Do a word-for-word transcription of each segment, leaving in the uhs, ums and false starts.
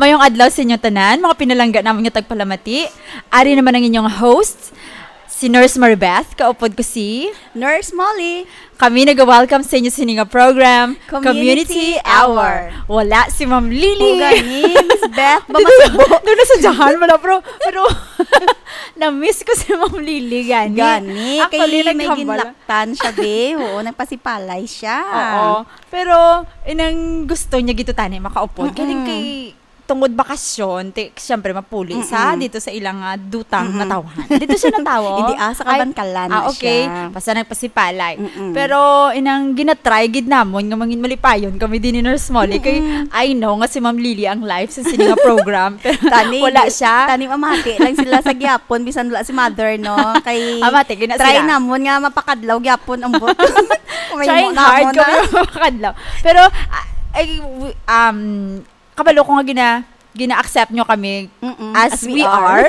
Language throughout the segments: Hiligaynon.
Mayong adlaw sa inyo tanan, mga pinalangga namon nga tagpalamati. Ari naman ang inyong host, si Nurse Maribeth, kaupod ko si Nurse Molly. Kami nag-welcome sa inyo sini nga program, Community Community Hour. Hour. Wala si Ma'am Lily. O gani, Miss Beth, ba Dito, masubo? Doon na sa Jahan, wala, bro. Pero, na-miss ko si Ma'am Lily, gani. Gani, Actually, kay may naghambal. Ginlaktan siya, be. Oo, nagpasipalay siya. Oo. Pero, inang gusto niya gito tani makaupod. Galing Mm-mm. kay, tungod bakasyon, ti, siyempre, mapuli sa Mm-mm. dito sa ilang, ah, dutang Mm-mm. natawhan. Dito siya natawo? Hindi, ah, sa Ay, Kabankalan ah, na okay. siya. Basta nagpasipalay. Mm-mm. Pero, inang ginatry gid namon nga mangin malipayon kami din ni Nurse Molly. Kay, Mm-mm. I know nga si Ma'am Lily ang live sa sini nga program. Pero Tani, wala di, siya. Tani mamati lang sila sa gyapon, bisan wala si mother, no? Kay, Mamati, gina try sila. Namon nga mapakadlaw gyapon ang bot. Kung may Trying mo na hard mo na. Kami mapakadlaw. Pero, ah, ay, w-, um, kabalo ko nga gina-, gina-accept nyo kami Mm-mm, as as we we are. are.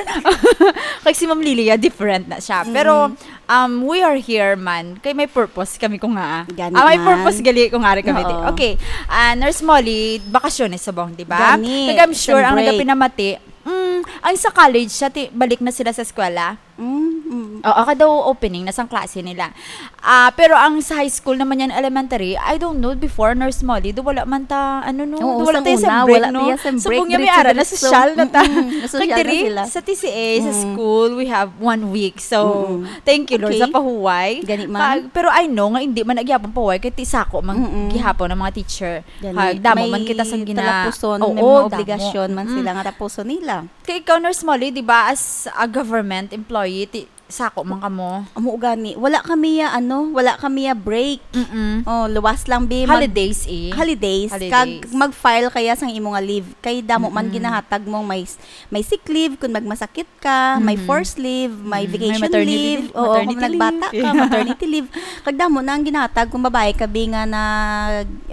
Kay si Ma'am Lilia, different na siya. Pero, Mm-mm. um, we are here man. Kay may purpose kami ko nga. Gani Ah, may man. Purpose gali ko nga rin kami. Oo. Okay. Ah, Nurse Molly, bakasyones subong, di ba? Gani, Kag I'm sure ang spring break. Nagapinamati, mm, ang sa college siya, ti-, balik na sila sa eskwela. Mm, mm. Oo, kada opening na sang klase nila. Ah, pero ang sa high school naman yan, elementary, I don't know, before Nurse Molly, do wala man ta, ano, no, Oo, do wala sang tayo sa una, break, wala no? Tayo sa So, break, kung yan may diretso, ara, diretso. Nasosyal na ta. Mm-mm, nasosyal Kag na diri, sila. Sa T C A, sa Mm. school, we have one week. So, Mm-mm. Thank you, Lord, Okay. Sa pahuway. Gani man. Pag, pero I know nga hindi man nagyapon pahuway, kay ti sako man Mm-mm. Gihapon ang mga teacher. Gani. Kag damo May man kita sang gina-, talapuson, oo, may mga damo. Obligasyon man Mm. Sila nga tapuson nila. Kay ikaw, Nurse Molly, di ba, as a government employee, ti, sako man kamo? Amo gani, wala kami ya, ano, wala kami ya break. Mm-mm. Oh, luwas lang, bi, mag- Holidays, eh. Holidays. Holidays. Kag mag-file kaya sang imo nga leave. Kay damo man Mm-mm. Ginahatag mo, may s-, may sick leave kung magmasakit ka, may Mm-hmm. Forced leave, may Mm, may vacation maternity leave, leave, oo, maternity kung nagbata leave. Ka, Yeah. Maternity leave. Kag damo na ang ginahatag kung babae ka, bi, nga na,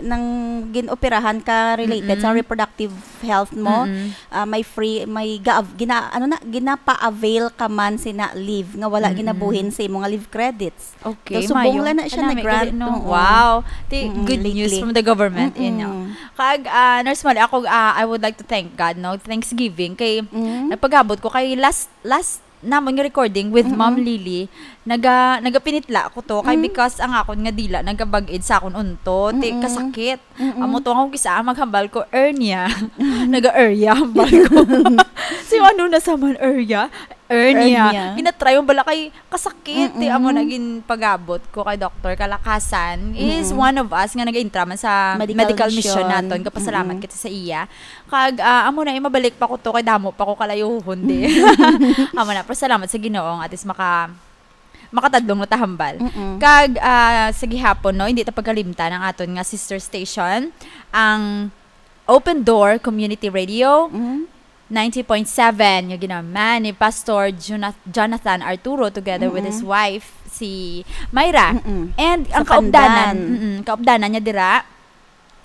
nang gin-operahan ka related sa Mm-mm. Reproductive health mo, Mm-mm. Ah, may free, may ga-, gina-, ano na, ginapa-avail ka man sina leave nga wala Mm-mm. Ginabuhin sa imo nga leave credits. Okay, so, subong mayo. Lang na siya. Kanami, na-grant, gali, no? Oo. Wow. Ti, mm-mm, good news lately. From the government, mm-mm. Inyo. Kag, ah, Nurse Molly, ako, ah, I would like to thank God, no? Thanksgiving kay mm-hmm. Napagabot ko kay last, last namon nga recording with mm-hmm. Ma'am Lily, naga-, nagapinitla ko to kay mm-hmm. Because ang akon nga dila nagabag-id sa akon unto, ti mm-hmm. Kasakit. Mm-mm. Amo to, ako kisa maghambal ko, hernia. Naga-area, hambal ko. So, ano na sa man, area? Hernia. Hernia. Ginatry yung bala kay kasakit. Mm-mm. Amo na ginpagabot ko kay Doktor Kalakasan. He is mm-mm. One of us nga nag-intra man sa medical, medical mission, mission naton. Kapasalamat mm-mm. Kita sa iya. Kag, ah, amo na, eh, mabalik pa ko to, kay damo pa ko kalayohon di. Amo na, pero salamat sa Ginoo nga at least maka-, makatadlong na ta hambal. Mm-mm. Kag, ah, sa gihapon, no, hindi ta pagkalimtan ang aton nga sister station, ang Open Door Community Radio, mm-hmm. Ninety point seven, nga ginaman ni Pastor Jona-, Jonathan Arturo together with his mm-hmm. Wife, si Myra. Mm-mm. And sa ang kaupdanan, Pandan. Mm-mm, kaupdanan niya dira,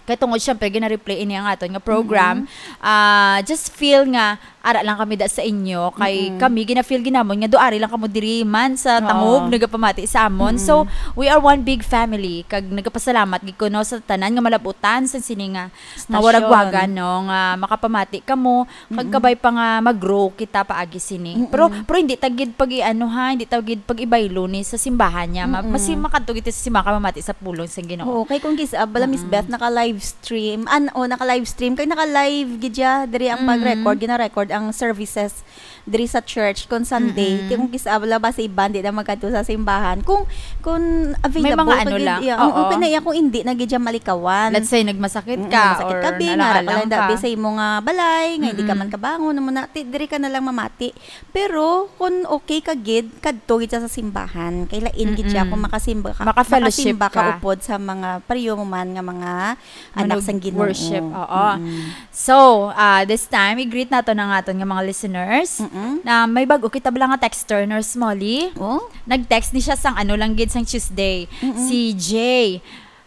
kay tungod, syempre, gina-replay ini ang aton nga program. Mm-hmm. Ah, just feel nga ara lang kami da sa inyo, kay mm-mm. Kami gina-feel ginamon nga duari lang kamo diri man sa oo. Tangub nagapamati sa amon. Mm-mm. So, we are one big family, kag nagapasalamat gid kuno sa tanan nga malabutan sa sini nga, nga stasyon. Waragwagan, no, nga makapamati kamo, kag mm-mm. Kabay pa nga mag-grow kita paagi sini. Mm-mm. Pero, pero hindi ta gid pag-iano, ha, hindi ta gid pag-ibaylo ni sa simbahan niya. Ma-, mm-mm. Mas makadto gid sa simbahan ka mamati sa pulong sa Ginoo. Oo, kay kung kis-, ah, bala, Miss mm-mm. Beth, naka-live stream. An-, oh, naka-live stream. Kay naka-live gid siya. Diri ang mm-mm. Pag-record, gina-record ang services diri sa church kon Sunday. Mm-mm. Ti kung kis-, ah, wala ba sa iban, di na magkadto sa simbahan. Kung, kung available may mga ano gid, lang. Iya, oo. Kung pinaiya, kung hindi na gid siya malikawan. Let's say, nagmasakit mm-mm, ka masakit or ka, bi, nga nalaalang ka. Pala, dabi sa imo nga balay, nga hindi ka mm-mm. Man kabangon, amo na, ti, diri ka na lang mamati. Pero, kung okay ka gid, kadto gid siya sa simbahan. Kay lain gid siya mm-mm. Kung makasimba ka, maka-fellowship makasimba ka ka. Upod sa mga pariyo mo man nga mga anak sang Ginoo. Worship, oo. Mm-mm. So, ah, this time, i-greet nato na nga aton nga mga listeners mm-mm. Na may bag-o kita bala nga texter, Nurse Molly. Oh? Nag-text ni siya sang ano lang gid sang Tuesday. Mm-mm. Si Jay.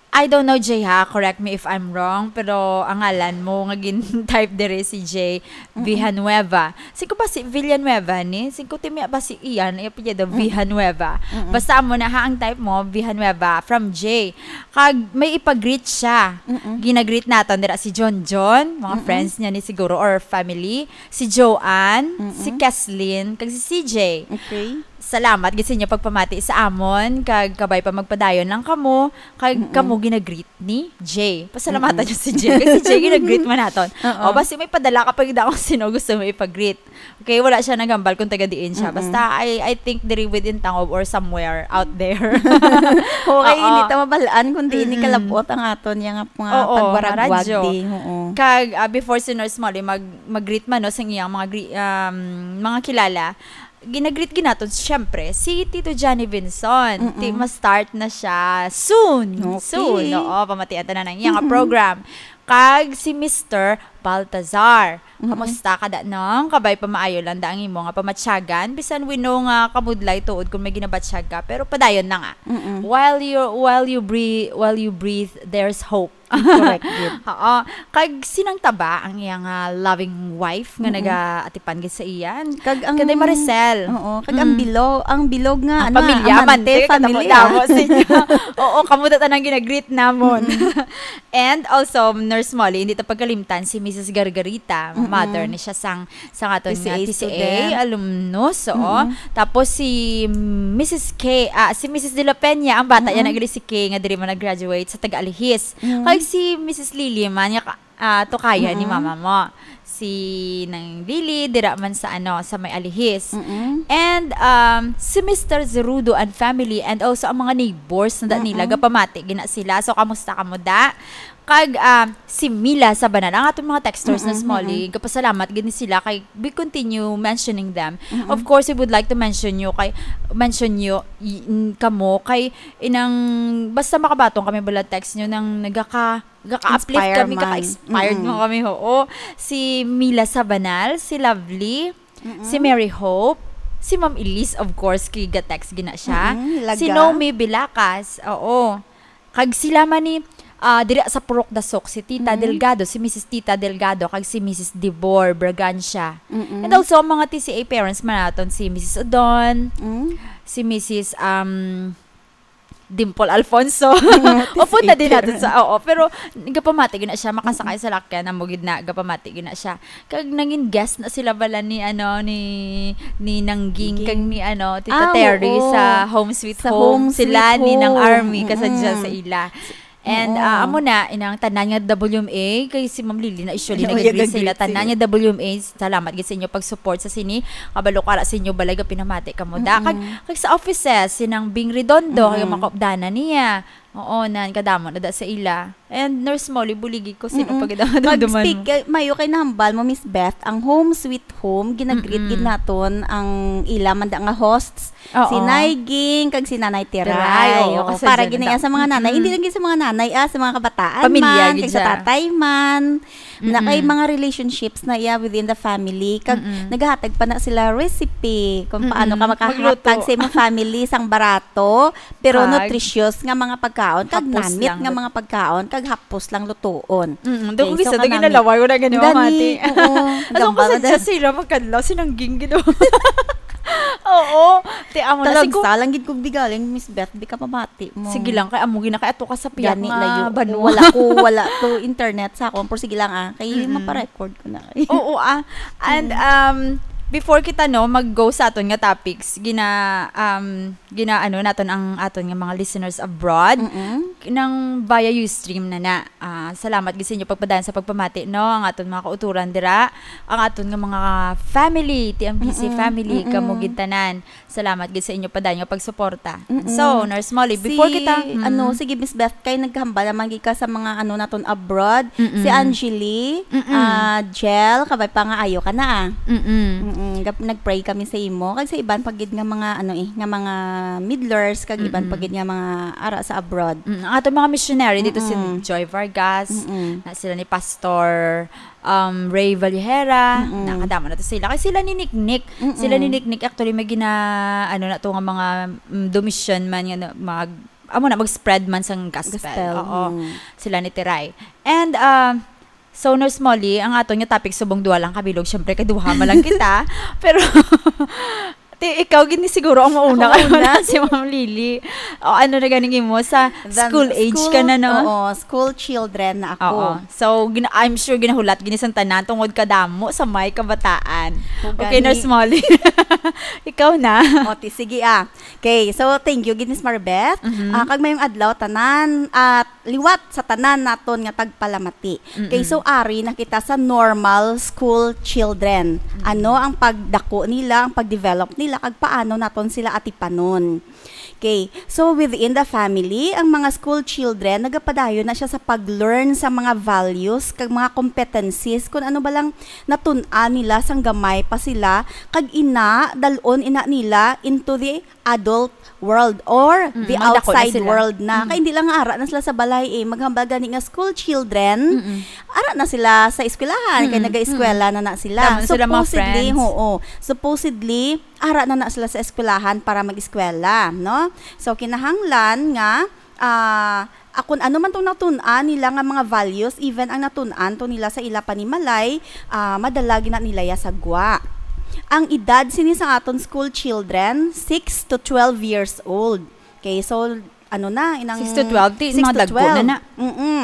I don't know, Jay, ha? Correct me if I'm wrong, pero ang ngalan mo nga gin-type diri si Jay Villanueva. Singko ba si Villanueva ni? Singko timi ba si Ian? Ay, apelyido Villanueva. Basta amo na, ha, ang type mo, Villanueva, from Jay. Kag may ipag-greet siya. Ginagreet naton dira si John John, mga friends niya ni siguro, or family. Si Joanne, si Keslin, kag si C J. Okay. Salamat gid sa inyo pagpamati sa amon, kag kabay pa magpadayon lang kamo, kag kamo ginagreet ni Jay. Pasalamatan niyo si Jay, kay si Jay ginagreet man naton. Oo. O, basi may padala ka pa gid ako sino gusto mo ipag-greet. Okay, wala siya naghambal kung taga diin siya. Mm-mm. Basta, I, I think diri within Tangub or somewhere out there. Okay, Oo. Hindi ta mabalaan kung di ni Mm-mm. kalabot ang aton yang mga Oo, pagwaragwag radyo. Di. Oo. Kag, ah, before si Nurse Molly mag, mag-greet man, no, sa iyang mga gre-, um, mga kilala, ginagreet ginaton, syempre, si Tito Johnny Vinson. Mm-mm. Ti, ma-start na siya soon. Okay. Soon, oo, pamatian ta na ng iyang Mm-mm. program. Kag si Mister Baltazar. Mm-mm. Kamusta ka da, nong? Kabay pa maayo lang da ang imo nga pamatyagan. Bisan we know nga kamudlay tuod kung may ginabatyag ka, pero padayon na nga. Mm-mm. While you, while you breathe, while you breathe, there's hope. Correct, good. Oo. Kag sinang taba ang iyang ah, loving wife nga Mm-mm. nagaatipan gid sa iyan. Kag ang Kay Maricel. Oo, kag ang Mm. bilog, ang bilog nga Ang ana, pamilya, amante, amante, pamilya. katamo-tamo sa inyo. Oo, kamo ta tanang ginagreet namon. And also, Nurse Molly, hindi ta pagkalimtan si Missus Gargarita, Mm-mm. mother ni siya sang, sang aton T C A nga T C A student. alumnus, oo. Mm-mm. Tapos si Missus K, ah, si Missus De La Peña, ang bata niya Mm-mm. nagili si K nga diri man nag-graduate sa taga Alihis. Mm. Kag si Missus Lily man, nga ka-, ah, tukaya ni Mm-mm. mama mo. Si Nang Lily, dira man sa, ano, sa may Alihis. Mm-mm. And um, si Mister Zerudo and family and also ang mga neighbors na da nila, Mm-mm. gapamati gina sila. So, kamusta kamo da? Kag um, si Mila Sabanal, ang atong mga texters na Mm-mm, Smalley, mm-mm. Gapasalamat gid ni sila kay we continue mentioning them. Mm-mm. Of course, we would like to mention you kay mention you y- n- kamo kay inang basta makabaton kami bala text nyo nang nagaka gaka-uplift Inspire kami, man. gaka-inspired Mm-mm. mo kami, oo. Si Mila Sabanal, si Lovely, Mm-mm. si Mary Hope, si Ma'am Elise, of course, kay ga-text gina siya. Mm-mm, Laga. Si Nomi Bilacas, oo. Kag sila man ni ah, diri sa Purok Dasok, si Tita Mm. Delgado, si Missus Tita Delgado, kag si Missus Dibor Bragancia. Mm-mm. And also, ang mga T C A parents man naton, si Missus Odon, Mm. si Missus um, Dimple Alfonso. Mm, Upo na din T C A natin sa, oo. Pero, gapamati gina siya, makasakay sa lakyan, amo gid na, gapamati gina siya. Kag nangin guest na sila bala ni, ano, ni, ni Nangging, Nangging. Kag ni, ano, Tita Ah, Terry oo. sa Home Sweet Sa Home. Home Sweet Sila ni Nang Home. Army, kasadya Mm-mm. sa ila. And Oo. ah, amo na, inang tanan nga W M A, kay si Ma'am Lily na usually Oo, nag-greet sa ila, nag-greet tanan sila. Nga W M A, salamat gid sa inyo pag-support sa sini. Kabalo ko ara sa inyo balay, gapinamati kamo da. Kag, Mm-mm. kag sa offices, si Nang Bing Redondo, kag Mm-mm. mga kaupdanan niya. Oo, nan, kadamo na da sa ila. And Nurse Molly, buligi ko, sino Mm-mm. pa gid ang Kag dumduman speak, mo? Kay, mayo kay nahambal mo, Miss Beth, ang Home Sweet Home, ginagreet Mm-mm. gid naton ang ila man da nga hosts, Oo. Si Nay Ging, kag si Nanay Teray. Teray, oo, Oo, kasi para dyan gid na na- iya sa mga nanay. Mm-mm. Hindi lang gid sa mga nanay, ah, sa mga kabataan Pamilya man, gid kag sa siya. Tatay man. Na kay Mm-mm. mga relationships na iya within the family. Kag Mm-mm. naghatag pa na sila recipe kung paano ka Mm-mm. makahatag Magluto. sa imong family sang barato, pero Kag nutritious nga mga pagkaon, kag hapos namit lang nga lut- mga pagkaon, kag hapos lang lutuon. Mm-mm. Doon Okay, kung isa so doon kanami. ginalaway, wala ganun, Gani, mati. Oo. Alam ko Gambal sa na dyan din. sila, magkadlaw, sinangging gid. Oo. Ti, amo na, Talag siguro sa lang gid kog bigaling, Miss Beth, di ka pamati mo. Sige lang, kay amo gina, kay ato ka sa piyak Gani, nga layo. banwa. Wala ko, wala to internet sa akon. Pero sige lang, ah. Kay Mm-mm. Maparecord ko na. Oo, ah. And, um, before kita, no, mag-go sa aton nga topics, gina, um, gina, ano, naton ang aton nga mga listeners abroad, Mm-mm. nang via Ustream na na. Ah, salamat gid sa inyo pagpadayon sa pagpamati, no, ang aton mga kauturan dira, ang aton nga mga family, T M B C Mm-mm, family, mm-mm. Kamo gid tanan. Salamat gid sa inyo padayon nga pagsuporta. Mm-mm. So, Nurse Molly, before Si, kita, mm. ano, sige, Miss Beth, kay naghambal naman gid ka sa mga, ano, naton abroad. Mm-mm. Si Angeli, Mm-mm. ah, Jel, kabay pa nga ayo ka na, ah. Mm-mm. Mm-mm. Gap-, nag-pray kami sa imo. Kag sa iban pa gid nga mga, ano, eh, nga mga midlers, kag iban pa Mm-mm. gid nga mga ara sa abroad. Mm, ang aton mga missionary dito, si Mm-mm. Joy Vargas, Mm-mm. na sila ni Pastor um, Ray Valhera, Mm-mm. Nakadama na to sila. Kay sila ni Niknik, Mm-mm. sila ni Niknik, actually, may gina, ano na to, nga mga mm, dumisyon man, nga na- mag, amo na, mag-spread man sang gospel. Gospel, Oo. mm. Sila ni Tiray. And, ah, so, Nurse Molly, ang aton nga topic subong duha lang ka bilog, syempre, kay duha man lang kita. Pero, ti-, ikaw gid ni siguro ang mauna Ako kay una. wala si Ma'am Lily. O, ano na ganing imo? Sa Then, school age school, ka na, no? oo, school children na ako. Oo. So, gina-, I'm sure ginahulat gid ni sang tanan tungod kadamo sa may kabataan. O, Okay, gani. Nurse Molly. Ikaw na. O, ti, sige, ah. Okay, so thank you gid, Miss Marbeth. Mhm. Ah, kag mayong adlaw tanan at liwat sa tanan naton nga tagpalamati. Okay, Mm-mm. so ari na kita sa normal school children. Mm-mm. Ano ang pagdako nila, ang pagdevelop nila, kag paano naton sila atipanon? Okay, so within the family, ang mga school children, nagapadayon na siya sa pag-learn sa mga values kag mga competencies, kung ano ba lang natun-an nila sang gamay pa sila, kag ina, dalon ina nila into the adult world or Mm, the magdako na outside sila. world na. Mm. Kay hindi lang nga ara na sila sa balay eh. Maghambal gani nga school children, Mm-mm. ara na sila sa eskwelahan, kay Mm-mm. nag-eskwela na na sila. Damo na sila mga Supposedly, friends. oo. Supposedly, ara na na sila sa eskwelahan para mag-eskwela, no? So, kinahanglan nga, ah, ah, kung ano man tong natun-an nila nga mga values, even ang natun-an to nila sa ila panimalay, ah, madala gina nila ya sa gwa. Ang edad sini sa aton school children, six to twelve years old. Okay, so, ano na, inang Six to twelve, ti, six mga to dagko na twelve. na. Mm-mm.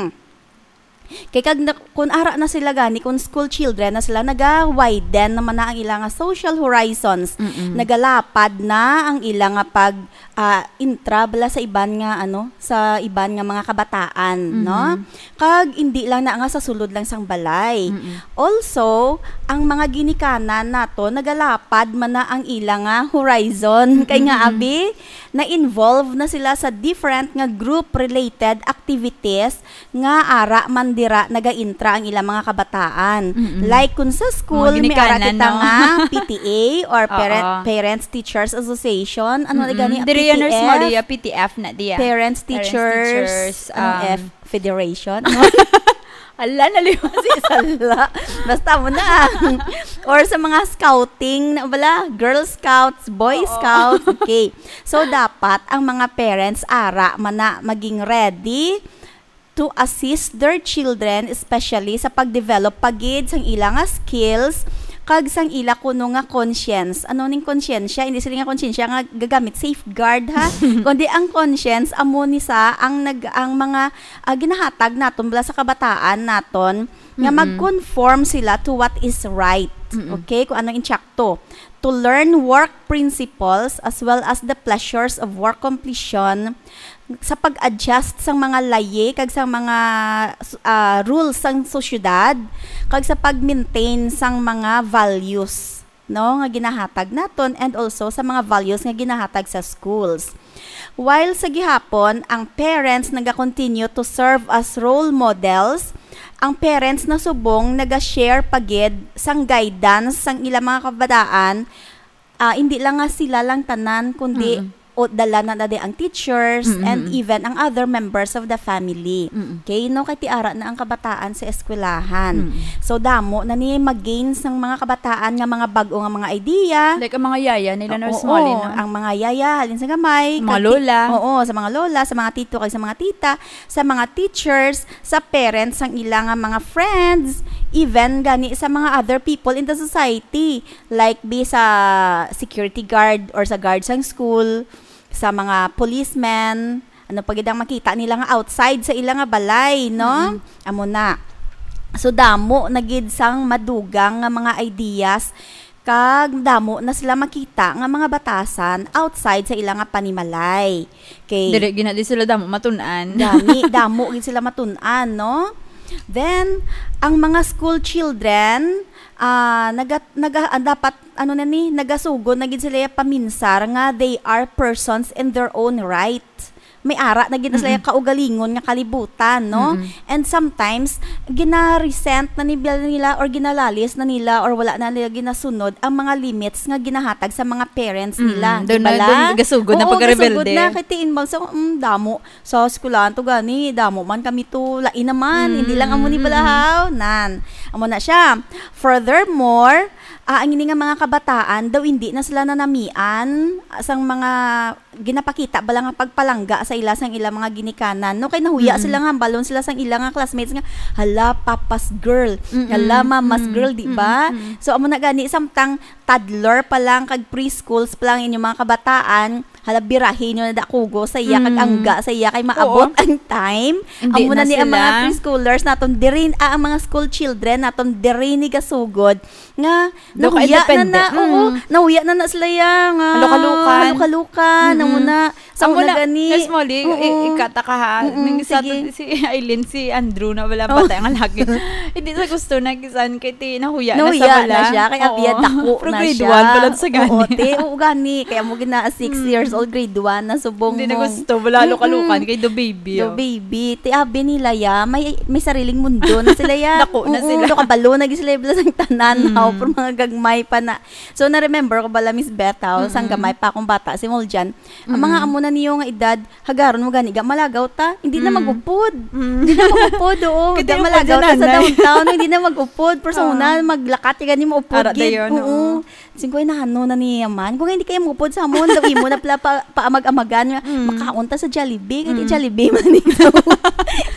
Kay kag na, kung ara na sila gani, kung school children na sila, naga-widen naman na ang ilang social horizons. Mm-mm. Nagalapad na ang ilang nga pag, ah, intra bala sa iban nga, ano, sa iban nga mga kabataan, no? Mhm. Kag hindi lang na nga sa sulod lang sang balay. Mm-mm. Also, ang mga ginikanan nato, nagalapad man na ang ilang nga horizon. Kay nga, Mm-mm. abi, na-involve na sila sa different nga group-related activities nga ara man dira nagaintra ang ilang mga kabataan. Mm-mm. Like, kung sa school, Mga may ara ginikanan, kita no? nga P T A or Parent, Oo. Parents Teachers Association. Ano na Mm-mm. gani? Diri yan, Nurse P T F? Maria, P T F na diya. Parents Parents Teachers, Teachers, anong um, F? Federation? Ala, nalimutan. Si Sala. Basta mo na. Or sa mga scouting, na bala, Girl Scouts, Boy Oo. Scouts. Okay. So, dapat ang mga parents, ara man na maging ready to assist their children, especially sa pag-develop pa gid sang ila nga skills, kag sang ila kuno nga conscience. Ano ning konsyensya? Hindi sila nga konsyensya nga gagamit safeguard, ha? Kundi ang conscience, amo ni sa ang nag-, ang mga, ah, ginahatag naton bala sa kabataan naton nga Mm-mm. mag-conform sila to what is right. Mm-mm. Okay? Kung ano insakto. To learn work principles as well as the pleasures of work completion sa pag-adjust sang mga layi kag sang mga, ah, rules sang sosyedad kag sa pag-maintain sang mga values, no, nga ginahatag naton and also sa mga values nga ginahatag sa schools. While sa gihapon, ang parents naga-continue to serve as role models, ang parents na subong naga-share pa gid sang guidance sang ilang mga kabataan, ah, hindi lang nga sila lang tanan, kundi Mm-mm. o dala na na di ang teachers Mm-mm. and even ang other members of the family. Mm-mm. Okay, no? Kay ti ara na ang kabataan sa eskwelahan. Mm-mm. So, damo na ni mag-gain sang mga kabataan nga mga bag-o nga mga idea. Like ang mga yaya nila, Nurse Oo, Molly, no? ang mga yaya, halin sa gamay, Mga kag ti-, lola. oo, sa mga lola, sa mga tito, kag sa mga tita, sa mga teachers, sa parents, ang ila nga mga friends, even gani sa mga other people in the society. Like, be sa security guard or sa guard sang school, sa mga policemen, ano pa gid ang makita nila nga outside sa ila nga balay, no? Mm-mm. Amo na. So, damo na gid sang madugang nga mga ideas, kag damo na sila makita nga mga batasan outside sa ila nga panimalay. Okay. Dili gina di sila damo matun-an. Gani, damo gid sila matun-an, no? Then, ang mga school children, ah, naga-, naga-, ah, dapat, ano na ni, nagasugod na gid sila paminsar nga they are persons in their own right. May ara na gid na sila Mm-mm. kaugalingon nga kalibutan, no? Mm-mm. And sometimes, gina-resent na ni-, nila or ginalalis na nila or wala na nila ginasunod ang mga limits nga ginahatag sa mga parents Mm, nila, doon di ba na, doon lang? gasugod na Oo, pagkarebelde. gasugod na. Kay tiin mo, so, mm, damo. Sa eskwelahan to gani, damo man kami to, lain naman, Mm, hindi lang amo ni mm, mm. Balahaw. Nan, amo na siya. Furthermore, ah, ang ini nga mga kabataan daw hindi na sila nanamian sang mga ginapakita bala nga pagpalangga sa ila sang ila mga ginikanan, no? Kay nahuya Mm-mm. sila nga hambalon sila sang ila nga classmates nga, "Hala, papa's girl. Mm-mm. Hala, mama's Mm-mm. girl," di ba? Mm-mm. So, amo na gani, samtang toddler pa lang, kag preschools pa lang inyong mga kabataan, hala, birahi nyo na dakugo sa iya, kag Mm. angga sa iya, kay maabot Oo. ang time. Hindi Amo na na ni ang mga sila. preschoolers naton, diri, ah, ang mga school children naton, diri ni gasugod nga Do ka nahuya na independent. na, oo, Mm. nahuya na na sila ya nga Halukalukan. halukalukan, amo Mm-mm. na. Sa Amo una na, gani. Miss Molly, i-, Oo. ikata ka ha. Mm-mm, Nang isa sige. to, si Aileen, si Andrew na wala Oh. bata nga lagi. Hindi sa gusto na kisan kay ti nahuya na sa Nahuya wala. na siya, kay Oo. abi ya dako Pero na grade siya. one pa lang sa gani. Oo, te, oo, gani. Kaya mo gina six Mm. years old, grade one na subong Hindi na mo. gusto, wala Mm-mm. halukalukan kay do baby, Do oh. baby. Ti abi nila ya, may, may sariling mundo na sila ya. Dako na Oo, sila. Nakabalo na gid sila, ibla sang tanan, Mm. haw, pero mga gagmay pa na. So, na-remember ko bala, Miss Beth, haw, sang Mm-mm. gamay pa akong bata, si Moljan. Ang mga Mm-mm. amo na niyo nga edad, hagaron mo gani, ga malagaw ta, hindi na Mm. mag-upod. Mm. Hindi na mag-upod, oo. Kita Ga yung malagaw ta sa Moljan, nanay. downtown, hindi na mag-upod. Pero sa Ah. una, maglakat, yung gani mo upod Ara gid. dayon, Oo. oo. Singko, "Ay, nahano na niya man. Kung hindi kayo mupod sa amon, daw imo na pala pa, paamag-amagan nga, Mm. makaon ta sa Jollibee." Kaya Mm. Jollibee man ito.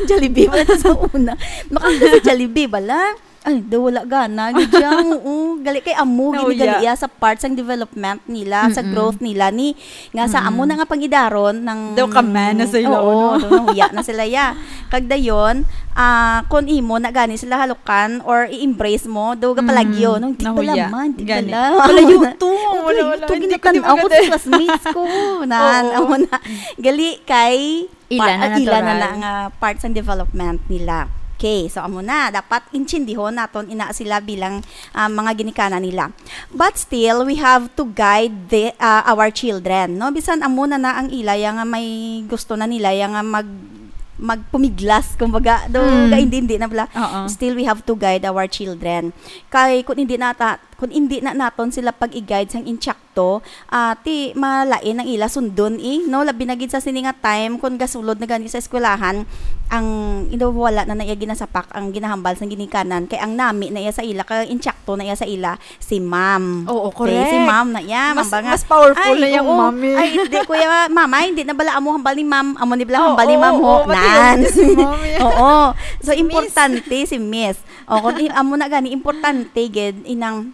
Jollibee man ito sa una. Makaon ta sa Jollibee, bala. Ay, daw wala gana. Gid siya, oo. Gali kay amo, Nauya. ginigali iya sa part sang development nila, sa Mm-mm. growth nila, ni, nga sa amo Mm-mm. na nga pangidaron ng Daw ka man na sila, Oo, ano? daw nahuya na sila, ya. Kag dayon, ah, kung imo na gani sila halukan or i-embrace mo, daw gapalagyo, Mm, no? Di nahuya. bala man, di Gani. bala. Palayo to, Wala, wala, wala. to, Hindi ko, di ginatan-aw ko maganda. sa classmates ko. Nan, Oo. amo na. Gali kay Ila pa-, na ila na natural. na nga part sang development nila. Okay, so amo na. Dapat intindihon naton ina sila bilang, ah, mga ginikanan nila. But still, we have to guide the, ah, our children, no? Bisan amo na na ang ila, ya nga may gusto na nila, ya nga mag-, magpumiglas, kumbaga, do, Mm. ga hindi, hindi na bala. Oo. Still, we have to guide our children. Kay kung hindi na ta-, kung hindi na naton sila pag-i-guide sang intsakto, ah, ti malain ang ila sundon, eh, no? Labi na gid sa sini nga time, kung gasulod na gani sa eskwelahan, ang, you know, wala na na iya ginasapak ang ginahambal sang ginikanan, kay ang nami na iya sa ila, kay intsakto na iya sa ila, si ma'am. Oo, Okay, si correct. ma'am na iya, Mas, mamba nga, mas powerful "Ay, na yung oo. mami. Ay, hindi, kuya, mama, hindi na bala amo hambal ni ma'am. Amo ni bala Oo, hambal ni ma'am, oo, ho." oo, mati yun, Nan. si ma'am, yeah. Oo. So, Si miss. importante si miss. O, kung i-, amo na gani, importante gid, inang,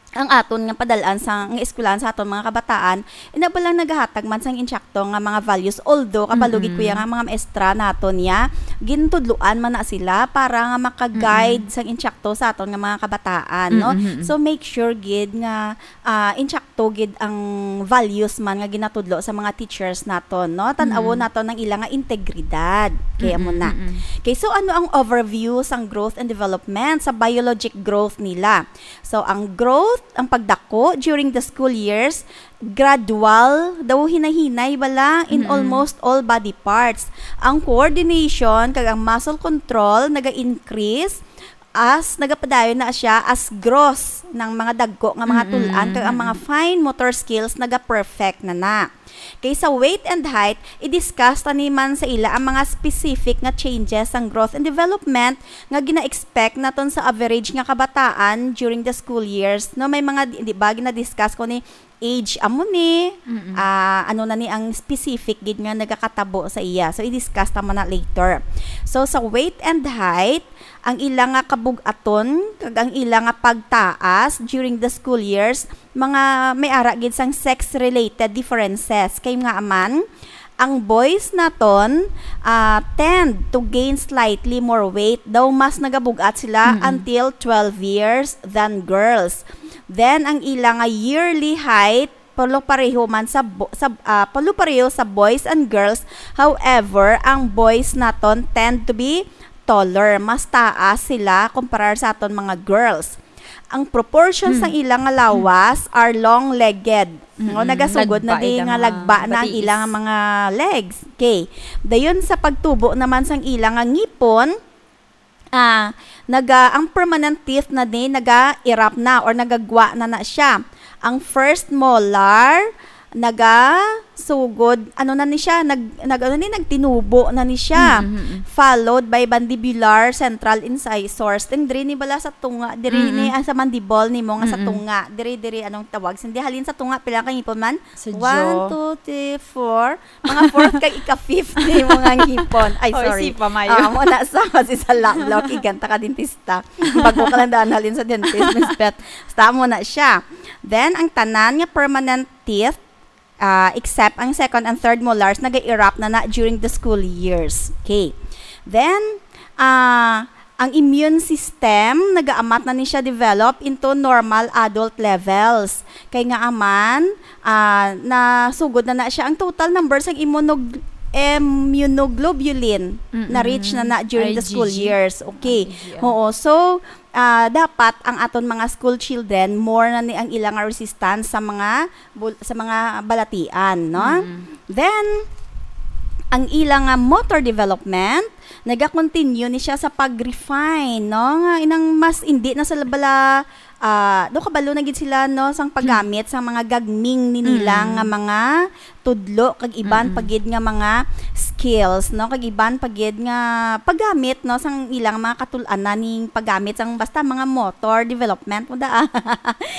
ang aton nga padalaan sa, nga eskwelahan sa aton mga kabataan, ina ba lang nagahatag man sang insakto nga mga values. Although, kabalo gid ko Mm-mm. ya nga mga maestra naton ya, gintudloan man na sila para nga maka-guide Mm-mm. sang insakto sa aton nga mga kabataan, no? Mm-mm. So, make sure gid nga, ah, insakto gid ang values man nga ginatudlo sa mga teachers naton, no? Tan-awon Mm-mm. naton ang ila nga integridad. Kaya mo Mm-mm, na. mm-mm. Okay, so ano ang overview sang growth and development, sa biologic growth nila? So, ang growth, ang pagdako during the school years, gradual, daw hinay-hinay bala in Mm-mm. almost all body parts. Ang coordination kag ang muscle control naga-increase as nagapadayon na siya as gross ng mga dagko nga mga Mm-mm, tul-an kag ang mga mm-mm. fine motor skills naga-perfect na na. Kay sa weight and height, i-discuss ta ni man sa ila ang mga specific nga changes sang growth and development nga gina-expect naton sa average nga kabataan during the school years, no? May mga, di, di ba, gina-discuss ko ni age amo ni, Mm-mm. ah, ano na ni ang specific gid nga nagakatabo sa iya. So, i-discuss ta man na later. So, sa weight and height, ang ila nga kabug-aton kag ang ila nga pagtaas during the school years, mga may ara gid sang sex-related differences. Kay nga man, ang boys naton, ah, tend to gain slightly more weight, daw mas nagabug-at sila Mm-mm. until twelve years than girls. Then, ang ila nga yearly height, palo pareho man sa bo-, sa, ah, palo pareho sa boys and girls. However, ang boys naton tend to be taller. Mas taas sila kumparar sa aton mga girls. Ang proportion Hmm. sa ila nga lawas are long-legged. No, Mm-mm. nagasugod na Lagba di ila nga mga lagba na ang matiis. ila nga mga legs. Okay. Dayon sa pagtubo naman sang ila nga ngipon, ah, naga-, ang permanent teeth na di naga-erupt na or nagagwa na na siya. Ang first molar, nagasugod, ano na ni siya, nag, nag, ano ni, nagtinubo na ni siya. Mm, mm, mm. Followed by mandibular central incisors. Then diri ni bala sa tunga, diri ni, mm-mm, ah, sa mandible nimo nga sa, mm-mm, tunga. Diri, diri, anong tawag? Hindi, halin sa tunga, pila ka ngipon man? Sa jaw. One, two, three, four. Mga fourth kag ika-fifth ni mga ngipon. Ay, oy, sorry. Si Pamayo. Ah, mo na sa, si sa lab-, lab-, kiganta ka dentista. Bago ka lang daan halin sa dentist, Miss Beth. Basta mo na siya. Then, ang tanan nga permanent teeth, ah, except ang second and third molars, naga-erupt na na during the school years. Okay. Then, ah, ang immune system, nagaamat na ni siya develop into normal adult levels. Kay nga aman, ah, nasugod na na siya ang total number sang immunog-, immunoglobulin na reach na na during the school years. Mm-mm. I G G. Okay. I G G, ah. Oo. So, ah, dapat ang aton mga school children, more na ni ang ilang resistance sa mga bul-, sa mga balatian, no? Mm. Then, ang ila nga motor development, naga-continue ni siya sa pag-refine, no? Nga inang mas hindi na sila bala, ah, do kabalo na gid sila, no, sang paggamit sang mga gagming ni nila, mm, nga mga tudlo, kag iban, mm-mm, pa gid nga mga skills, no? Kag iban pa gid nga paggamit, no, sang ilang mga katul-anan ning paggamit sang basta mga motor development mo da.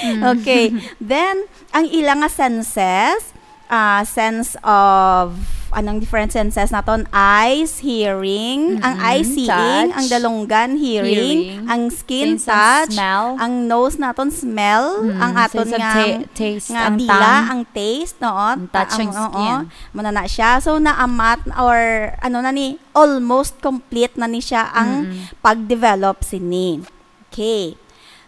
Mm. Okay. Then, ang ila nga senses, ah, sense of, anong different senses naton? Eyes, hearing, ang, mm-mm, eye, seeing, touch, ang dalunggan, hearing, hearing, ang skin, sense of, touch, smell, ang nose naton, smell, mm, ang aton sense of nga, ta-, taste, nga ang dila, tongue, ang taste, no? Ang touch, ang, ang oo, skin. Muna na siya. So, naamat or, ano na ni, almost complete na ni siya ang, mm-mm, pag-develop sini. Okay.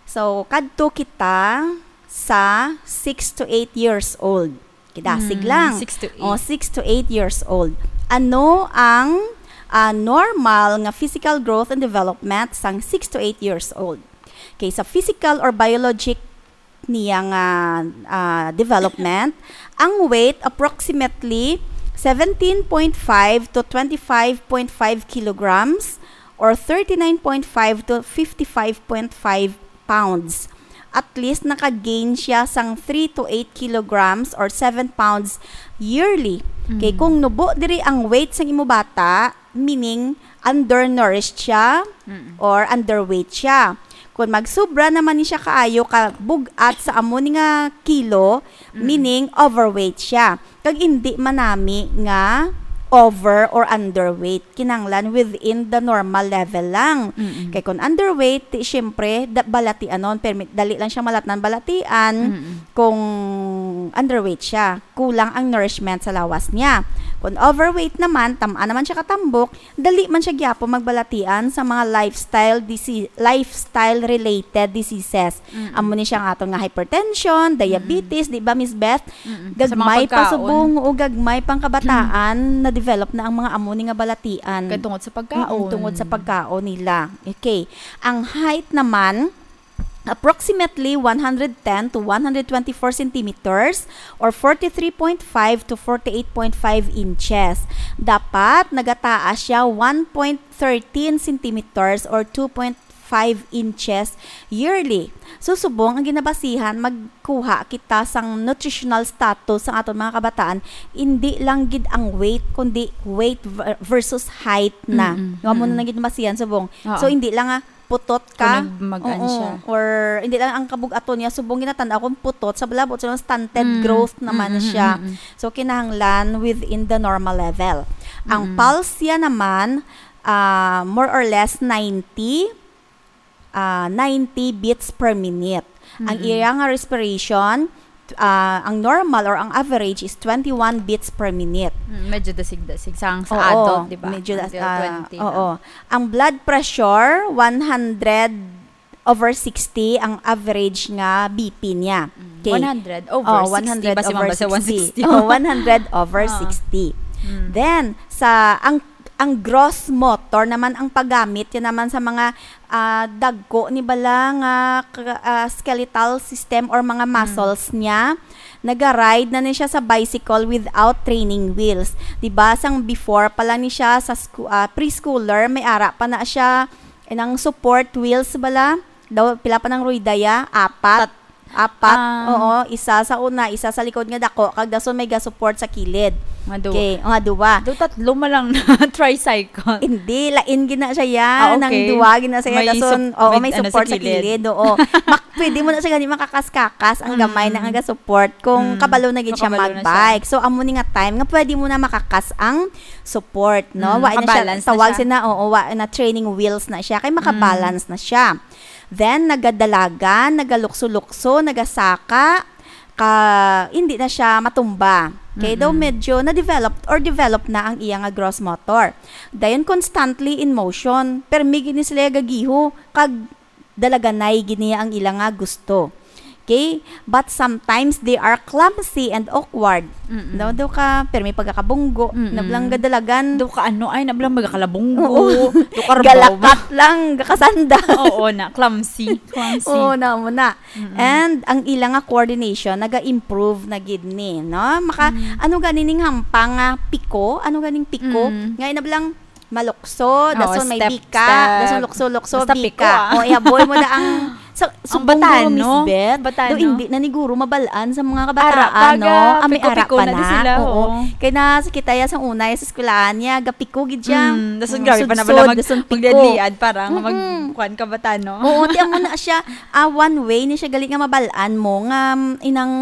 So, kadto kita sa six to eight years old. Kidasig lang. Mm, six to eight. O, six to eight years old. Ano ang, ah, normal nga physical growth and development sang six to eight years old? Okay, sa physical or biologic niya nga, ah, development, ang weight approximately seventeen point five to twenty-five point five kilograms or thirty-nine point five to fifty-five point five pounds. At least naka-gain siya sang three to eight kilograms or seven pounds yearly. Kay, mm, kung nubo diri ang weight sang imo bata, meaning undernourished siya, mm, or underweight siya. Kung magsubra naman ni siya kaayo ka bug-at sa amo ni nga kilo, mm, meaning overweight siya. Kag indi man nami nga over or underweight. Kinahanglan within the normal level lang. Mm-mm. Kay kung underweight, ti, syempre, da-, balatianon, permi-, dali lang siya malatnan balatian, mm-mm, kung underweight siya. Kulang ang nourishment sa lawas niya. Kung overweight naman, tam-a naman siya katambok, dali man siya gyapon magbalatian sa mga lifestyle disi-, lifestyle-related diseases. Mm-mm. Amo ni siya nga aton nga hypertension, diabetes, mm-mm, di ba, Miss Beth? Mm-mm. Sa mga pagkaon. Gagmay pa subong o gagmay pang kabataan, mm, na-develop na ang mga amo ni nga balatian. Kay tungod sa pagkaon. Mm-mm, tungod sa pagkaon nila. Okay. Ang height naman, approximately one hundred ten to one hundred twenty-four centimeters or forty-three point five to forty-eight point five inches. Dapat nagataas siya one point thirteen centimeters or two point five inches yearly. So, subong ang ginabasihan, magkuha kita sang nutritional status sang aton mga kabataan, hindi lang gid ang weight, kundi weight ver-, versus height na. Mm-mm. Nga mo na, mm-mm, lang gid basihan, subong. Oo. So, hindi lang nga putot ka. Kung nag-, mag-an siya. Oo. Or, hindi lang ang kabug-aton niya, subong ginatan-aw kung putot, sa balabot, sa stunted, mm, growth naman, mm-mm, siya. Mm-mm. So, kinahanglan within the normal level. Ang, mm-mm, pulse niya naman, ah, more or less ninety, ah, ninety beats per minute. Ang, mm-mm, iya nga respiration, ah, ang normal or ang average is twenty-one beats per minute. Mm, medyo dasig-dasig. Sa, sa, oo, adult, di ba? Medyo das-, until, ah, twenty, oo, ah. Ang blood pressure, one hundred over sixty ang average nga B P niya. Mm, okay. One hundred over sixty. Oh, one hundred over sixty. Basi man ba sa one sixty? Oh, one hundred over sixty. Ah. Mm. Then, sa, ang, ang gross motor naman ang paggamit, yan naman sa mga, ah, dagko ni bala nga k-, ah, skeletal system or mga, mm, muscles niya. Naga-ride na ni siya sa bicycle without training wheels. Di ba? Sang before pa lang ni siya sa sku-, ah, preschooler, may ara pa na siya, eh, nang support wheels bala. Daw, pila pa nang ruyda ya? Apat. Tat-, Apat, Ah. oo, isa sa una, isa sa likod nga dako, kag dason may ga-support sa kilid. Nga duwa. Okay, nga duwa. Do tatlo man lang na tricycle. Hindi, lain gina siya ya, Ah, nang okay. duwa gina siya, May dason, sup-, oo, may may ano sa support sa kilid. kilid, oo. Mak-, pwede mo na siya gani makakas-kakas, ang gamay na Mm. nga ga-support kung Mm. kabalo na gid siya Makabalo na siya. magbike. So, amo ni nga time nga pwede mo na makakas ang support, no? Mm, Wa na siya, mabalance na tawag siya. sina, oo, wa na training wheels na siya, kay Mm. makabalance na siya. Then, nagadalagan, nagalukso-lukso, nagasaka, ka, hindi na siya matumba. Okay, daw Mm-mm. medyo na-develop or develop na ang iya nga gross motor. Dayon, constantly in motion. Permi gini sila gagiho, kag dalaganay gini ang ila nga gusto. Okay? But sometimes they are clumsy and awkward. Mm-mm. No, daw ka, permi pagkakabunggo, Mm-mm. nablang gadalagan. Daw ka ano, ay, nablang magakalabunggo. Oo. Daw ka rabaw. Galakat lang, gakasanda. Oo na, clumsy. Clumsy. Oo, na mo na. Mm-mm. And ang ila nga coordination, naga-improve na gid ni, no? Maka, Mm. ano gani ning hampang nga piko? Ano ganing piko? Mm. Nga inablang malukso, Oo, dason may step, bika, step. dason lukso-lukso, Basta bika. piko, ah. O, ihaboy mo na ang, sa, Ang sumbong guro, batano. Miss Beth, Batano. do hindi na ni guro mabalaan sa mga Ara kabataan, pa, no? ga, Ami ara piko-piko pa na di na. sila, Oo. oo. Kaya na sa kita ya sa una, sa eskwelahan niya, gapiko gid siya. Mm, dason Mm, grabe pa na sudsod, bala mag-, dason piko. magdadliad para nga mag-, Mm-mm. kuwan ka batano. Oo, ti amo na siya, ah, one way ni siya gali nga mabalaan mo nga, mm, inang,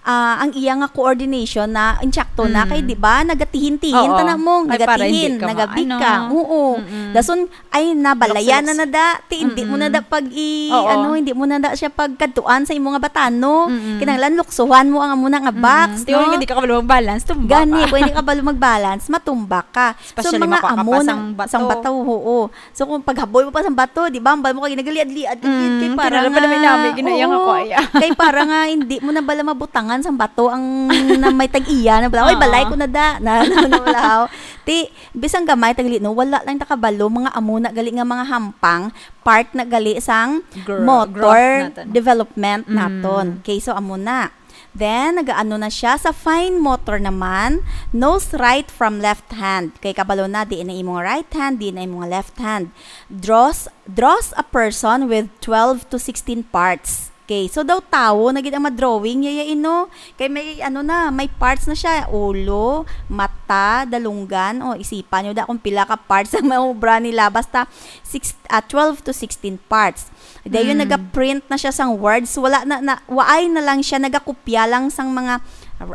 ah, ang iya nga coordination na insakto na kay, Mm. di ba, nagatihin-tihin Oo. tana mo, Ay, para hindi nagatihin, ka nagabika. maano. Oo. Mm-mm. Dason, ay, nabalayan Lukso-lukso. na na da, ti hindi mo na Mm-mm. da pag i-, Oo. ano, hindi mo na da siya pagkadtuan sa imo nga batano. Mm-mm. Kinahanglan luksuhan mo ang amo na nga Mm-mm. box, Ti, no? hindi ka kabalo mag-balance, tumba Gani, ka. kung hindi ka kabalo mag-balance, matumba ka. So, Especially mga makuha ka amo pa na, sang bato. sang bato, oo. So, kung paghaboy mo pa sang bato, di ba, ang bal mo kay nagaliad-liad ka, Mm, kay para kinala pa nga, namin namin, ginaya nga oo, ko, aya. kay para nga hindi mo na bala mabutangan sang bato ang na may tag-iya, na bala, "Oy, Oo. balay ko na da." Na, na, na, wala, oh. Ti, bisan gamay, tagli, no, wala lang ta kabalo, mga amo na gali nga mga hampang, part na gali sang Gro-, motor growth naton. development Mm. naton. Okay, so amo na. Then, nagaano na siya sa fine motor naman, knows right from left hand. Kay kabalo na, di na imong right hand, di na imong left hand. Draws, draws a person with twelve to sixteen parts. Okay, so daw tawo na gid ang madrawing, yaya ino. Kay may, ano na, may parts na siya. Ulo, mata, dalunggan. O, isipan nyo da kung pila ka parts ang maubra nila. Basta, six, ah, twelve to sixteen parts. Dayon, Mm. nagaprint na siya sang words. Wala na, na, waay na lang siya nagakopya lang sang mga,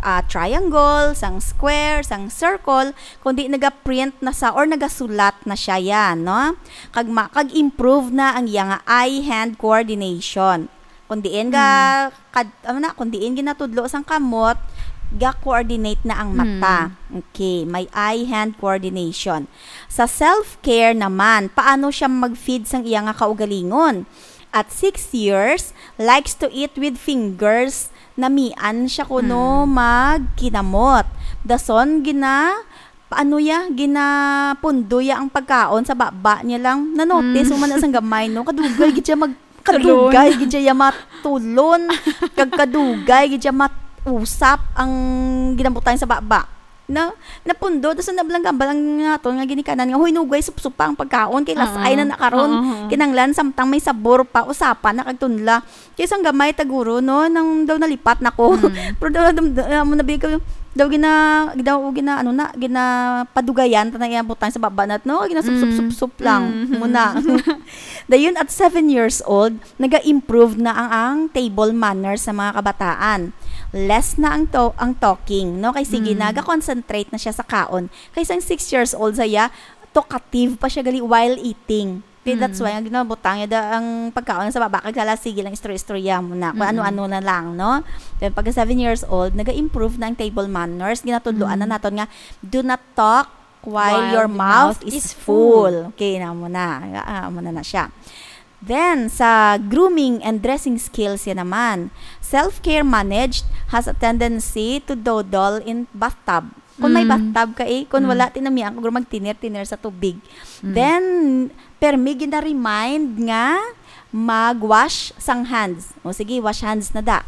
ah, triangle, sang square, sang circle, kundi nagaprint na sa, or nagasulat na siya yan, no? Kag ma-, kag improve na ang iya nga eye-hand coordination. Kung diin ga, Mm. kad-, ano na, kung diin ginatudlo sang kamot, ga-coordinate na ang mata. Mm. Okay, may eye-hand coordination. Sa self-care naman, paano siya mag-feed sang iya nga kaugalingon? At six years, likes to eat with fingers. Namian siya kuno Mm. magkinamot. Dason, gina-, paano ya? Ginapundo ya ang pagkaon sa baba niya lang. Na-notice Mm. mo man na sang gamay, no? Kadugay gid siya mag-, Tulon. kadugay gid siya ya matulon. Kag kadugay gid siya matusap ang ginabutang sa baba. Na, napundo, tas nablang gambal ang nga aton nga ginikanan nga, "Hoy, nugay, supsupa ang pagkaon, kay lasay Oo. na na karon." Oo. Kinanglan, samtang may sabor pa, usapa na kag tunla. Kay sang gamay, taguro, no, nang daw nalipat na ko. Mm. Pero daw, daw, daw, amo na bigay ko, daw gina-, daw gina-, ano na, ginapadugayan ta na iya butang sa baba nat, no? Ginasup-sup-sup-sup Mm. lang Mm. muna. Dayon, at seven years old, naga-improve na ang, ang table manners sa mga kabataan. Less na ang to-, ang talking, no? Kay sige na, Mm. ga-concentrate na siya sa kaon. Kay sang six years old saya, talkative pa siya gali while eating. Kay that's Mm. why, ang ginabutang niya da, ang pagkaon sa baba, kag sala, sige lang, istorya-istorya mo na, kung Mm. ano-ano na lang, no? Then, pagka seven years old, naga-improve na ang table manners. Ginatudloan na Mm. naton nga, "Do not talk while While your the mouth mouth is is full." full. Okay, na mo na. Ah, mo na na siya. Then, sa grooming and dressing skills yan naman, self-care managed has a tendency to dawdle in bathtub. Kung may Mm. bathtub ka, eh, kung Mm. wala, tinamian ko, magtinir-tinir sa tubig. Mm. Then, permi gina-remind nga mag-wash sang hands. O sige, wash hands na da.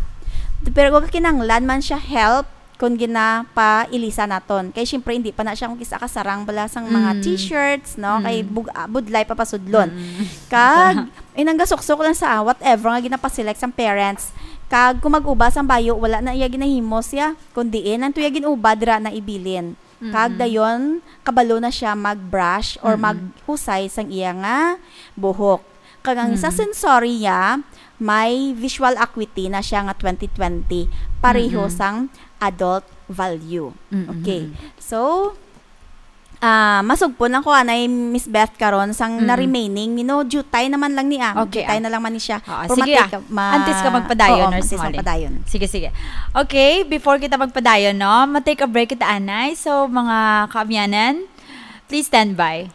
Pero kung kinanglan man siya help, kung ginapailisa naton. Kay, syempre, hindi pa na siya kung kisa kasarang bala sang mga Mm. t-shirts, no? Kay Mm. bug-, ah, budlay pa pasudlon. Mm. Kag, inang gasuksok lang sa, ah, whatever nga ginapaselect sang parents, Kag kung mag-uba sang bayo, wala na iya ginahimo siya, kun diin ang tuya gin-uba dira na ibilin. Kag Mm. dayon, kabalo na siya mag-brush or Mm-mm. maghusay sang iya nga buhok. Kag ang isa Mm. sensory niya, may visual acuity na siya nga twenty twenty, pareho Mm-mm. sang adult value. Mm-mm. Okay. So, ah, masugpon lang ko anay, Miss Beth, karon sang Mm. na-remaining, you know, jutay naman lang ni, ah. Okay, Jutay ah. na lang man ni siya. Oo, Pero sige, matake ah. ma- Antes ka magpadayon, Oo, Nurse antes Molly. magpadayon. Sige, sige. Okay, before kita magpadayon, no, ma-take a break kita, anay. So, mga kaabyanan, please stand by.